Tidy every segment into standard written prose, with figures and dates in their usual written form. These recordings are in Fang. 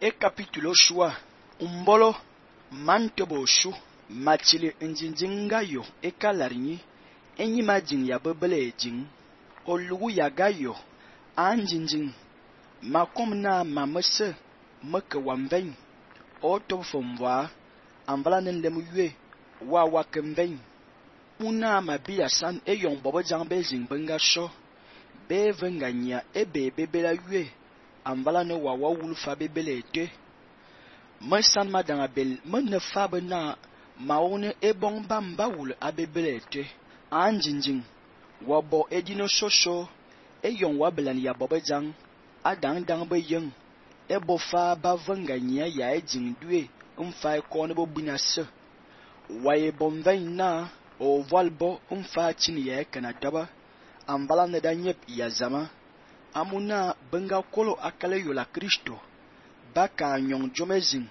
e capítulo shua umbolo mantobo shu machili njinjinga yo e kalarinyi enyi majin ya bebele ejin olugu ya gayo anjinjin makom na mamese meke wamvein o tofomwa amvala nenlem yue wa wakemvein una mabia san e yon bobo jang bezing benga sho be venga nya ebe bebela yue amvala no wa wulfa bebele ete mesan madanga bel menne fabe na maone e bon bamba wul abebele ete anjinjin wabo edino shosho e yon wabelan ya bobo jang adang dang be yen e bofa ba venga nya ya e jingdue mfa e kone bo binase waye bomvein na o valbo mfa chini ya kana daba amvala ne da nyep ya zama amuna benga kolo akale yola Kristo baka nyong jomezin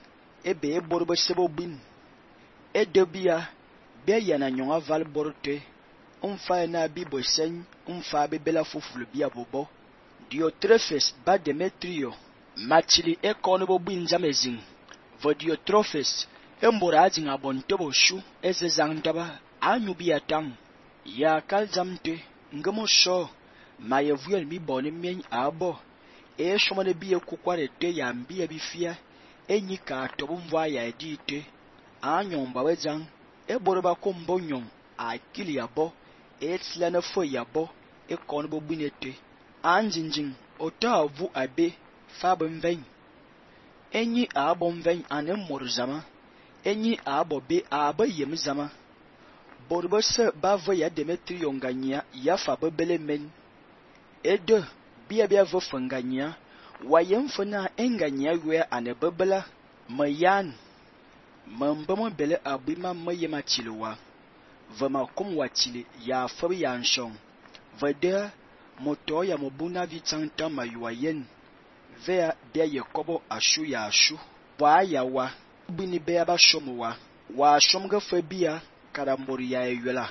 ebe e borbe sebo bin e debia be yana nyong aval borte mfa na bibo sen mfa bebela fufulu bia bobo Diotrephes ba Demetrio machili e kono bo bin jamezin vo Diotrephes embora ajin abontobo shu eze zangdaba anyubi atang ya kaljamte ngamo sho maye vuel mi boni mien abo e shomane biye kukware te ya mbiye bifia enyi ka tobu mva ya edite anyon bawe jang e borba kombo nyon akili yabo e tslana fo yabo e kono bo binete anjinjin ota vu abe fabon vein enyi abon vein anem morzama enyi abo be aba yem zama borba se bava ya Demetrio nganya ya fa bebele men ede bia vo fanganya wayem fana enganya we ane bebela mayan mambamo bele abima mayema chilwa vama kum wachili ya fabi ya nshon vede moto ya mobuna vitanta mayuayen vea bia yekobo ashu ya ashu wa ya wa bini bea ba shomuwa wa shomga fabia karambori ya yola